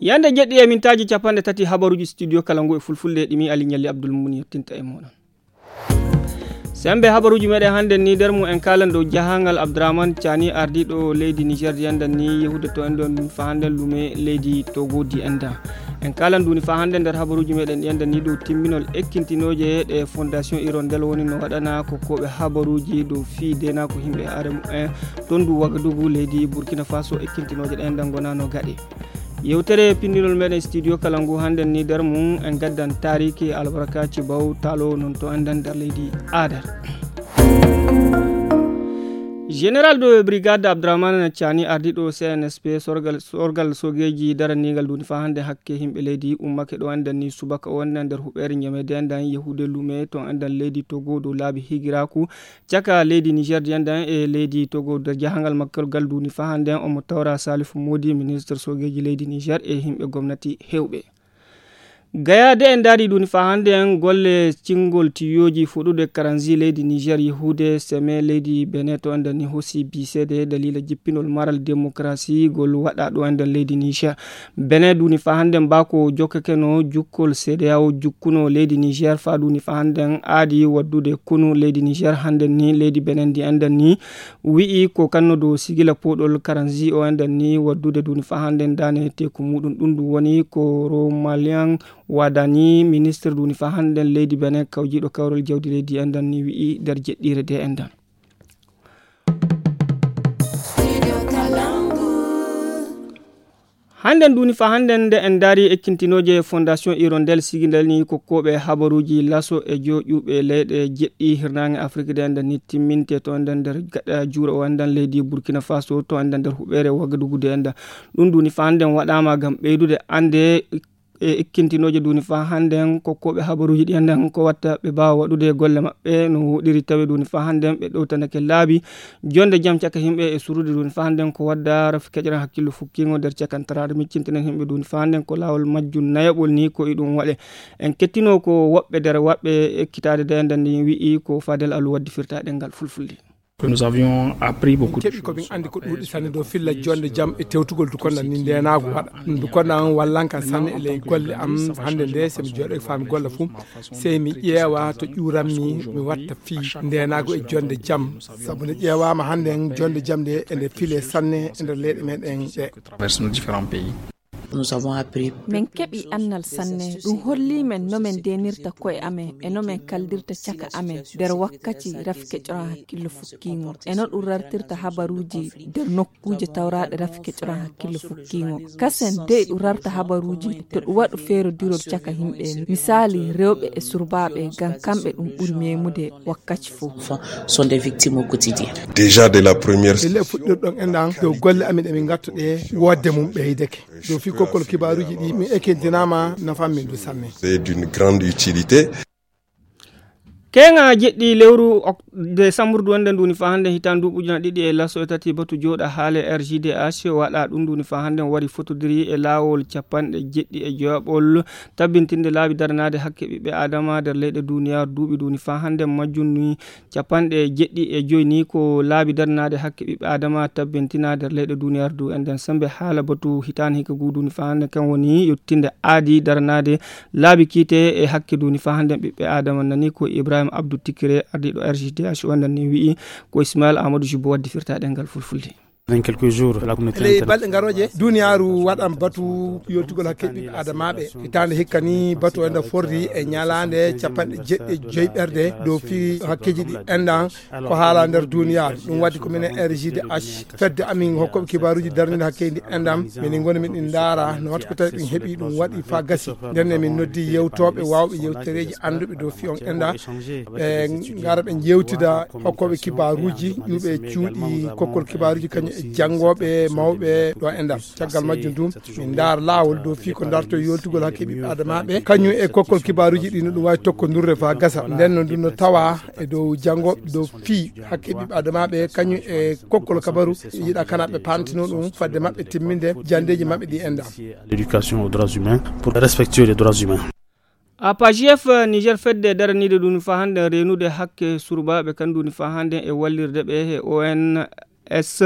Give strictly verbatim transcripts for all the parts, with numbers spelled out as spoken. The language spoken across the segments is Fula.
Yande jeɗɗi e mintaaji capanɗe tati habaruuji studio kala ngu e fulfulde ɗimi Ali Ñalli Abdul Muni yettinta e moɗon. Sembe habaruuji meɗen hannde ni nder mum en kaalan dow jahangal Abdourahmane Tiani ardiiɗo leydi Niger di enɗan ni yehude to enɗon fa hannde lume leydi Togo di enɗan. En kaalan duni fa hannde nder habaruuji meɗen ɗi enɗan ni dow timminol ekkintinooje ɗe Fondation Hirondelle woni no waɗana ko koɓe habaruuji dow fii dena ko yimɓe are mumen ton du Wagadugu leydi Burkina Faso ekkintinooje ɗe enɗan gonano gaɗe. Yewtere pinndinol meɗen studio kala ngu hannde ni nder mum en gaddan taariki albarkaaji baw talo non to enɗan nder leydi Adar. Général de brigade Abdourahmane Tiani ardiiɗo C N S P sorgal sorgal sogeeji daraniigal duni fa hannde hakke yimɓe leydi ummake ɗo enɗan ni subaka o enɗan nder huɓeere ñamede enɗan yehude lume to enɗan leydi Togo dow laabi higiraaku caka leydi Niger di enɗan e leydi Togo nder jahangal makko gal duni fa hannde omo tawra Salif Modi ministre sogeeji leydi Niger e yimɓe gomnati hewɓe. Gaya de en daari duni fa hannde en golle cingol tiyoji fuɗude karanzi leydi Niger yehude seme leydi Benin to enɗan ni hosi bisede dalila jippinol maral démocratie gol waɗa ɗo enɗan leydi Niger. Benin duni fa hannde mbako jokkakeno jukkol C D A O jukkuno leydi Niger fa duni fa hannde aadi waddude kunu leydi Niger hannde ni leydi Benin ndi enɗan ni wi'i ko kanno dow sigila poɗol karanzi o enɗan ni waddude duni fa hannde dane teku muɗum ɗum ɗum woni ko Romalian Wadani ministre duni fa hannde leydi Benin kawjiɗo kawrol jawdi leydi enɗan ni wi'i nder jeɗɗire de enɗan. Hannde duni fa hannde nde en daari ekkintinooje Fondation Hirondelle sigindal ni ko koɓe habaruuji laso e joƴuɓe leyɗe jeɗɗi hirnaange Afrik de enɗan ni timminte to enɗan nder gaɗa juuro o enɗan leydi Burkina Faso to enɗan nder huɓeere Wagadugu de enɗan. Ɗum duni fa hannde waɗaama ngam ɓeydude annde e ekkintinooje duni fa hannde ko koɓe habaruuji ɗi enɗan ko watta ɓe mbaawa waɗude golle maɓɓe no woɗiri tawi duni fa hannde ɓe ɗowtanake laabi jonde jam caka yimɓe e surude duni fa hannde ko wadda rafi keƴran hakkillo fukkingo nder cakantaraade miccintinen yimɓe duni fa hannde ko laawol majjum nayaɓol ni ko iɗum waɗe. En kettino ko woɓɓe nder waɓɓe ekkitaade de enɗan ni wi'i ko Fadel Alu waddi firtaɗe ngal fulfulde. Nous avions appris beaucoup de choses. Keɓi ko min anndi ko ɗuuɗi sanne dow filla jonde jam e tewtugol dukonda ni ndenaagu waɗa. Dukonda an wallanka sanne e ley golle am hannde nde so mi jooɗo e faami golle fuu sey mi ƴeewa to ƴuuranmi mi watta fii ndenaagu e jonde jam. Sabu nde ƴeewaama hannde en jonde jam nde e nde file sanne e nder leyɗe meɗen ɗe. Traverse nos différents pays. Nous avons appris. Min keɓi annal sanne. Ɗum holli men no min ndenirta koye amen e no min kaldirta caka amen nder wakkati rafi keƴoran hakkillo fukkiingo e no ɗum rartirta habaruuji nder nokkuuje tawraaɗe rafi keƴoran hakkillo fukkiingo. Kasen dey ɗum rarta habaruuji to ɗum waɗu feerodirol caka yimɓe misaali rewɓe e surbaaɓe ngam kamɓe ɗum ɓuri meemude wakkati fof. Sont des victimes au quotidien. Déjà de la première. Ille fuɗɗirɗon enɗan dow golle amin emin ngattu ɗe woodde mum ɓeydeke. Dow fii kokkol kibaaruuji ɗi min ekintinaama nafa min du sanne. C'est d'une grande utilité. Keŋa jeɗɗi lewru ok- desambur du wonde nduni fa hannde hitaan duuɓi ujuna ɗiɗi e laso e tati batu jooɗa haale R G D H waɗa ɗum nduni fa hannde wari fotodiri e laawol capanɗe jeɗɗi e joyaɓol tabbintinde laabi daranaade hakke ɓiɓɓe adama nder leyɗe duniyaaru duuɓi nduni fa hannde majjum ni capanɗe jeɗɗi e joyi ni ko laabi daranaade hakke ɓiɓɓe adama tabbintina nder leyɗe duniyaaru du enden sembe haala batu hitaani hikka guuduni fa hannde kan woni yettinde aadi daranaade laabi kiite e hakke duni fa hannde ɓiɓɓe adama nani ko ibrahima abdou tikire ardiiɗo R G D H wondan ni wi'i ko ismail amadou jubo waddi firta ɗengal fulfulde. Dans quelques jours la communauté ley internationale balɗe ngarooje duniyaaru waɗan batu yoltugol hakke ɓiɓɓe adamaaɓe hitaande hikka ni batu enda forri e ñalaande capanɗe jeɗɗi e joyi ɓerde dow fii hakkeji ɗi endan ko haala nder duniyaaru. Ɗum waɗi ko minen R G D H fedde amin hokkoɓe kibaaruuji darninde hakkeji ɗi endan minin ngoni min ɗin ndaara no watta ko tawi ɗum heɓi ɗum waɗi fa gasi. Nden emin noddi yewtooɓe waawɓe yewtereeji annduɓe dow fii on enda ɓe ngara ɓe njewtida hokkooɓe kibaaruuji ƴuuɓe cuuɗi kokkol kibaaruuji kañum e janngooɓe mawɓe ɗo endan. Caggal majjum ɗum min ndaara laawol dow fii ko darto yoltugol hakke ɓiɓɓe adamaaɓe kañum e kokkol kibaaruuji ɗi no ɗum waawi tokkondurde fa gasa. Nden no ɗum no tawa e dow janngooɓe dow fii hakke ɓiɓɓe adamaaɓe kañum e kokkol kabaru yiɗa kana ɓe pantino ɗum fadde maɓɓe timminde janndeeji maɓɓe ɗi endan. L'éducation aux droits humains pour respectueux des droits humains. A P A J F Niger fedde daraniiɗo ɗum fa hannde reenude hakke surbaaɓe kan ɗum fa hannde e wallirde ɓe e O N, S,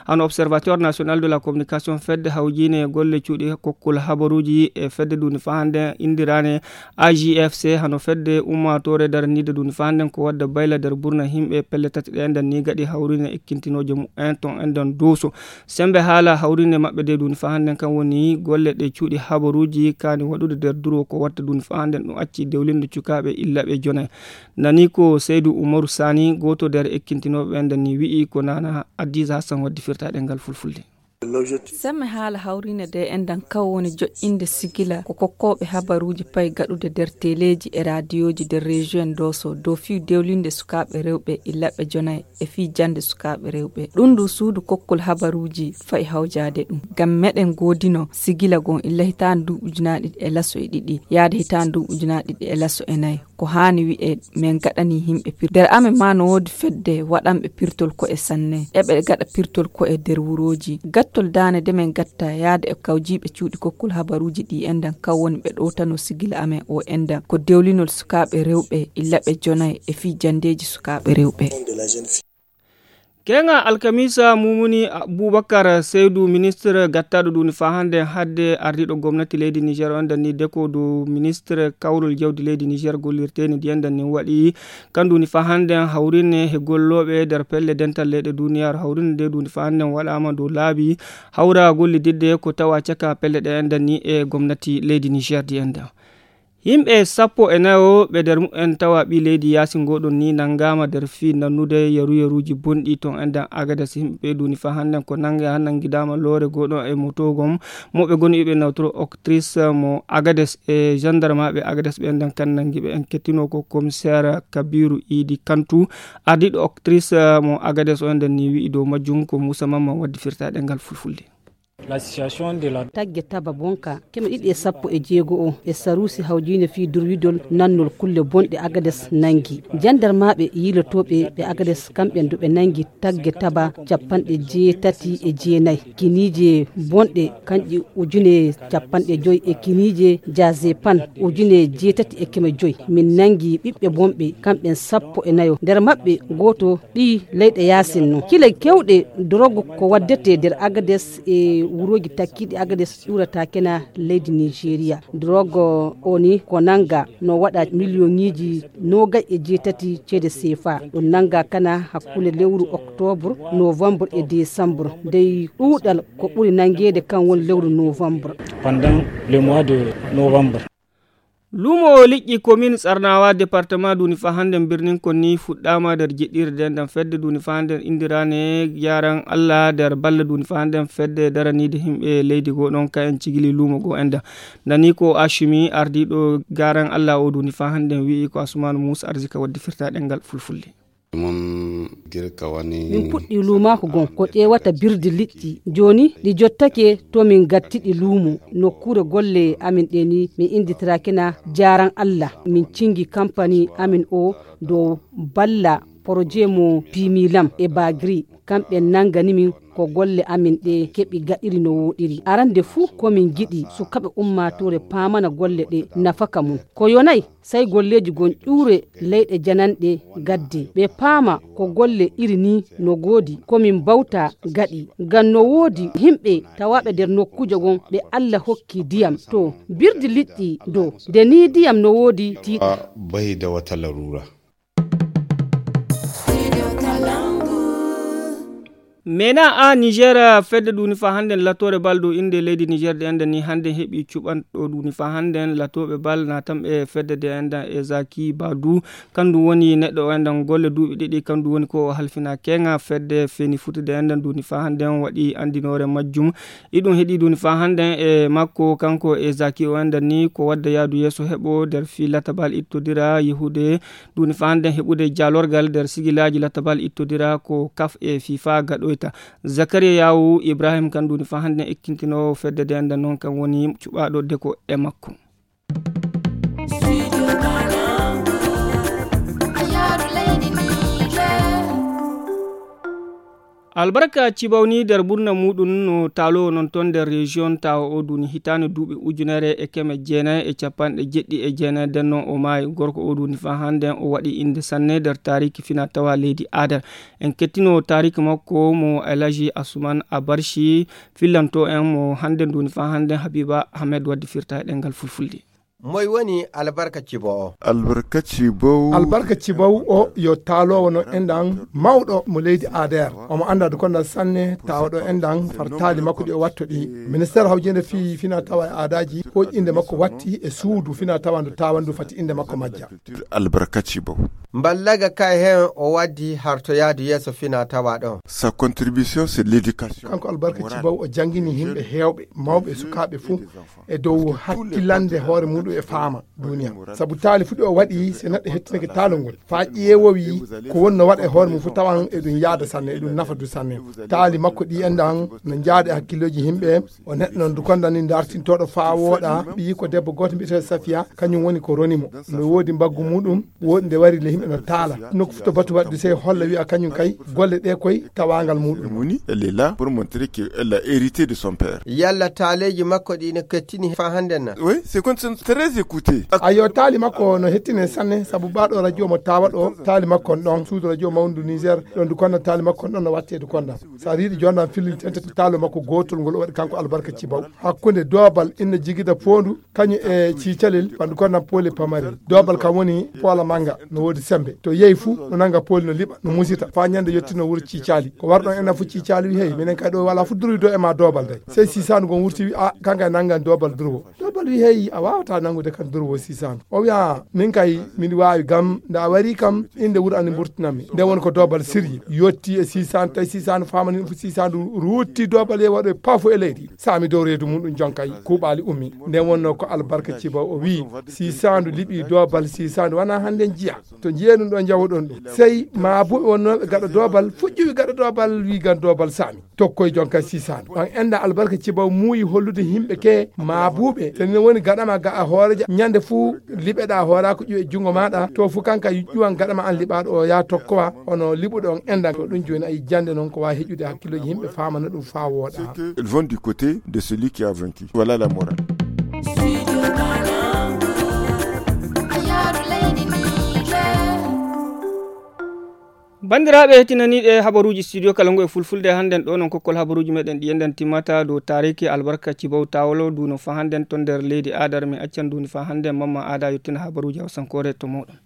hano Observateur National de la Communication, fedde hawjiine golle cuuɗi kokkol habaruuji e fedde duuni faa hannde inndiraane A J F C, hano fedde ummaatoore daraniide duuni faa hannde ko wadda bayla nder burna yimɓe pelle tati ɗe enden ni gaɗi hawriine ekkintinooje mumen ton enden duuso. Semmbe haala hawriine maɓɓe de duuni faa hannde kan woni golle ɗe cuuɗi habaruuji kaani waɗude nder duro ko watta duuni faa hannde ɗum acci dewlinde cukaaɓe illa ɓe jona. Nani ko Seydou Oumarou Sani, gooto nder ekkintinooɓe ɓen, ni wi'i ko Nana Adiza Hassan waddi firtaaɗe ngal fulfulde. Semme haala hawriine de enɗan kaw woni joƴƴinde sigila ko kokkooɓe habaruuji payi gaɗude nder teleeji e raadiyooji nder rejiyon Dooso dow fii dewlinde sukaaɓe rewɓe illa ɓe jonay e fii jannde sukaaɓe rewɓe. Ɗum ndu suudu kokkol habaruuji fayi hawjaade ɗum. Ngam meɗen goodino sigila gon illa hitaande ndu ujunaaji ɗiɗi e laso e ɗiɗi, yaade hitaande ndu ujunaaji ɗiɗi e laso e nayi. Ko haani wi'e men gaɗani yimɓe pir-, nder amen ma no woodi fedde waɗanɓe pirtol ko'e sanne. Eɓe gaɗa pirtol ko'e nder wurooji. Gattol daane de men gatta yaade e kawjiiɓe cuuɗi kokkol habaruuji ɗi enɗan kaw woni ɓe ɗowtano sigila amen o enɗan. Ko dewlinol sukaaɓe rewɓe illa ɓe jonay e fii janndeeji sukaaɓe rewɓe. Keŋa alkamisa Mumuni Abubakar Seydu, ministre gattaɗo ɗuni faa hannde hadde ardiɗo gomnati leydi Niger on danni deko dow ministre kawrol jawdi leydi Niger gollirteni ndiyan danni waɗi kan ɗuni faa hannde hawrine he gollooɓe nder pelle dental leyɗe duniyaaru. Hawrine nde ɗuni faa hannde waɗaama dow laabi hawra gollididde ko tawa caka pelle ɗe en danni e gomnati leydi Niger ndiyan dan. Yimɓe sappo e nayo ɓe nder mumen tawa ɓii leydi yaasin ngoɗon ni nanngaama nder fii nannude yaru yaruuji bonɗi ton enɗan Agades. Yimɓe ɓe ɗuni faa hannden ko nannga nanngidaama loore goɗon e moto gom mo ɓe goni ɓe nawtoro octrice mo Agades e gendarmaaɓe Agades ɓe enɗan kan nanngi ɓe en kettino ko commissaire Kabiru Idi Kantu ardiiɗo octrice mo Agades o enɗan ni wi'i dow majjum ko Muusa Mamman waddi firtaaɗe ngal fulfulde. Tagge taba bonka keme ɗiɗi e sappo e jeego o e saruusi hawjiine fii durwidol nannol kulle bonɗe Agades nanngi. Jandarmaaɓe yiilotooɓe ɓe Agades kamɓe ndu ɓe nanngi tagge taba cappanɗe jeetati e jeenayi. Kiniije bonɗe kanƴi ujune cappanɗe joyi e kiniije jazepan ujune jeetati e keme joyi. Min nanngi ɓiɓɓe bonɓe kamɓen sappo e nayo. Nder maɓɓe gooto ɗi leyɗe yaasin non. Kile kewɗe drogue ko waddete nder Agades e wurooji takkiiɗi Agades ƴuurata kena leydi Nigeria. Drogue o ni ko nannga no waɗa miliyoŋiiji noogay e jeetati ceede seefa. Ɗum nannga kana hakkunde lewru octobre, novembre e décembre. Dey ɗuuɗal ko ɓuri nanngeede kan woni lewru novembre. Pendant le mois de novembre. Luumo liƴƴi commune Tsarnawa département duni faa hannden birnin konni fuɗɗaama nder jiɗɗirde nden fedde duni faa hannden inndiraane Yaran Allah nder balla duni faa hannden fedde daraniide yimɓe leydi goo ɗon ka en cigili luumo goo enda. Nani ko Ashimi ardiiɗo Garan Allah o duni faa hannden wi'i ko Asumaan Muusa Arzika waddi firtaaɗe ngal fulfulde. Min puɗɗi luumaaku gon ko ƴeewata birdi liƴƴi. Jooni ɗi jottake to min ngattiɗi luumo. Nokkuure golle amin ɗe ni min innditiraakina Jaaran Allah. Min cinngi kampani amin o dow balla poroje mo Pimilam e Bagri. Kamɓe nanngani min ko golle amin ɗe keɓi gaɗiri no wooɗiri. Arande fuu ko min ngiɗi sukaaɓe ummaatoore paamana golle ɗe nafaka mum. Ko yonay sey golleeji gon ƴuure leyɗe jananɗe gadde. Ɓe paama ko golle iri ni no goodi ko min mbawta gaɗi. Ngam no woodi yimɓe tawaaɓe nder nokkuujo gon ɓe Allah hokki diyam. To birdi liƴƴi do nde ni diyam no woodi tiiɗa. Bahi da wata larura. Mena a Niger fedde duni fa hannden latoore bal dow innde leydi Niger de enda ni hannden heɓi cuɓanɗo duni fa hannden latooɓe bal natanɓe fedde de enda e Zaki Badu. Kandu woni neɗɗo o enɗan golle duuɓi ɗiɗi, kandu woni ko o halfina keŋa fedde feni futude enɗan duni fa hannden waɗi anndinoore majjum. Iɗum heɗi duni fa hannden e makko kanko e Zaki o enɗan ni ko wadda yaadu yeeso heɓo nder fii latabal ittodira yehude duni fa hannden heɓude jaalorgal nder sigilaaji latabal ittodira ko kaf e fifa gaɗoyta. Zakariya Yawu Ibrahim kan duni fa hannden ekkintinoowo fedde de enɗan noon kan woni cuɓaaɗo deko e makko. Albarka Cibaw ni nder ɓurna muɗum no taalo non ton nder région tawa o duni hitande duuɓi ujunere e keme jeenayi e capanɗe jeɗɗi e jeenayi nden non o maayi gorko o duni fa hande o waɗi inde sanne nder tariki fina tawa leydi adar. En kettino tariki makko mo Elaji Asuman Abarshi fillanto en mo hande duni fa hande Habiba Ahmed waddi firta e ɗengal fulfulde. Moy woni Albarka Cibo o? Albarka Cibo. Albarka Cibo o yo taalowo no enɗan mawɗo mo leydi ader. Omo annda dukonda sanne tawaɗo enɗan fartaali makko ɗi o watto ɗi. Ministère hawjende fi fina tawa e aadaji ko inde makko watti e suudu fina tawa ndu tawa ndu fati inde makko majja. Albarka Cibo. Mballaga kay hen o waddi hartoyaadu yeeso fina tawa ɗon. Sa contribution c'est l'éducation. Kanko Albarka Cibo o jangini himɓe hewɓe mawɓe e sukaaɓe fuu e dow hakkilande hoore muɗum e faama duniya. Sabu taali fuɗi o waɗi se neɗɗo hettinake taalo ngol fa ƴeewowi ko wonno waɗa e hoore mum fu tawan eɗum yaada sanne eɗum nafa du sanne. Taali makko ɗi enɗan no jaada e hakkilloji himɓe. O neɗɗo non du konda ni dartintoɗo fa wooɗa ɓiyi ko debbo goto mbiyeteɗo Safiya kañum woni ko roni mo. No woodi mbaggu muɗum woodi nde wari le himɓe no taala nokku fu to batu waɗdu sey holla wiya kañum kay golle ɗe koy tawangal muɗum. Muni elle est là pour montrer qu'elle a hérité de son père. Yalla taaleeji makko ɗi ne kettini fa hande na? Oui, c'est comme ça, très écouté. Ayo taali makko no hettine sanne sabu baɗo radio mo tawa ɗo taali makko on ɗon suudu radio mawndu Niger ɗon du konda taali makko on ɗon no watte du konda. Sa riiɗi jondan fillintente to taalo makko gotol ngol o waɗi kanko Albarka Cibaw hakkunde dobal inna jigida pondu kañum e cicalel ɓandu kondan pole pamarel dobal kam woni poola manga no woodi sembe to yehi fuu no nanga poli no liɓa no musita fa ñande yettino wuro cicali ko warɗon enen fu cicali wi hey minen kay ɗo wala fu duroy do e ma dobal day sey sisandu gon wurti wi a kanka e nangan dobal durwo dobal wi hey a wawata nangude kan durwo sisandu o wiya min kay min wawi gam nda wari kam inde wuro ani mburtinanmi nde woni ko dobal sirye yotti e sisandu tawi sisandu famani ɗum fu sisandu rutti dobal ye waɗo e pafu e leydi sami dow reedu mum ɗum jonkay kuuɓaali ummi nden wonno ko Albarka Ciba o wii sisandu liɓi dobal sisandu wona hannde jiya to jiya ɗum ɗo jawoɗon ɗum sey ma buɓe wonnooɓe gaɗa dobal fuɗɗiwi gaɗa dobal wi gan dobal sami tokkoy jonkay sisandu on enda Albarka Ciba muuyi hollude yimɓe ke ma buɓe so ne woni gaɗama ga a hooreja ñande fuu liɓeɗa hoora ko ƴuwe junngo maɗa to fu kanka ƴuwan gaɗama an liɓaɗo o ya tokkowa hono liɓuɗo on enda ko ɗum joni ayi jande noon ko wawi heƴude hakkilloji yimɓe famana ɗum fa wooɗa. Ils vont du côté de celui qui a vaincu. Voilà la morale. Bandiraɓe hetinaniɗe habaruji studio kala ngo e fulfulde hannden ɗo non kokkol habaruji meɗen ɗi enɗen timmata dow tariki Albarka Cibaw Tawolo duno fa hannden ton nder leydi adar mi accan duni fa hannden mamma ada yottina habaruji hawsankore to moɗon.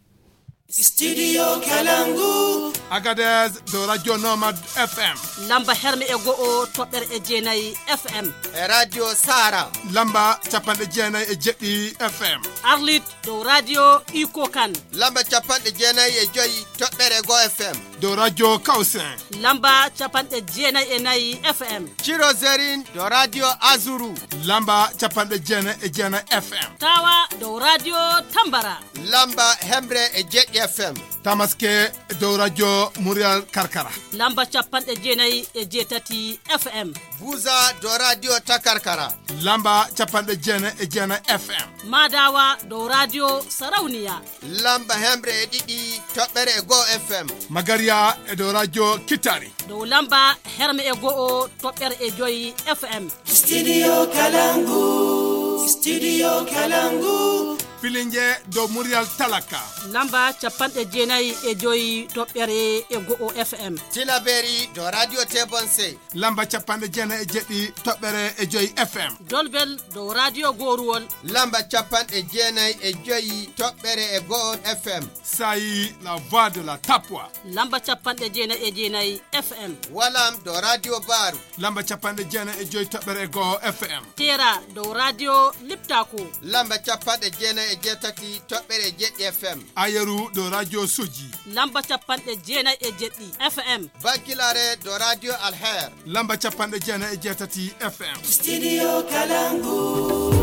Studio Kalangu. Agadez dow radio Nomad F M. Lamba herme e go'o toɓɓere e jeenayi F M. E radio Sara. Lamba capanɗe jeenayi e jeɗɗi F M. Arlit dow radio Iko Kan. Lamba capanɗe jeenayi e joyi toɓɓere go F M. Dow radio Kawsen. Lamba capanɗe jeenayi e nayi F M. Ciro Zerin dow radio Azuru. Lamba capanɗe jeenayi e jeenayi F M. Tawa dow radio Tambara. Lamba hemre e jeɗɗi F M. Tamaske dow radio Murial Karkara. Lamba capanɗe jeenayi e jeetati F M. Buza dow radio Takarkara. Lamba capanɗe jeenayi e jeenayi F M. Madawa dow radio Sarauniya. Lamba hemre e ɗiɗi toɓɓere e go'o F M. Magaria e dow radio Kitari. Dow lamba herme e go'o toɓɓere e joyi F M. Studio Kalangu. Studio Kalangu. Filinge dow Murial Talaka. Lamba capanɗe jeenayi e joyi toɓɓere e go'o F M. Tilaberi dow radio Tebonse. Lamba capanɗe jeenayi e jeɗɗi toɓɓere e joyi F M. Dolbel dow radio Goruwol. Lamba capanɗe jeenayi e joyi toɓɓere e go'o F M. Sayi la voix de la Tapwa. Lamba capanɗe jeenayi e jeenayi F M. Walam dow radio Baru. Lamba capanɗe jeenayi e joyi toɓɓere e go'o F M. Tera dow radio Liptako. Lamba capanɗe jeenayi e jeetati toɓɓere e jeɗɗi F M. Ayeru dow radio Soji. Lamba capanɗe jeenayi e jeɗɗi F M. Bankilare dow radio Alher. Lamba capanɗe jeenayi e jeetati F M. Studio Kalangu.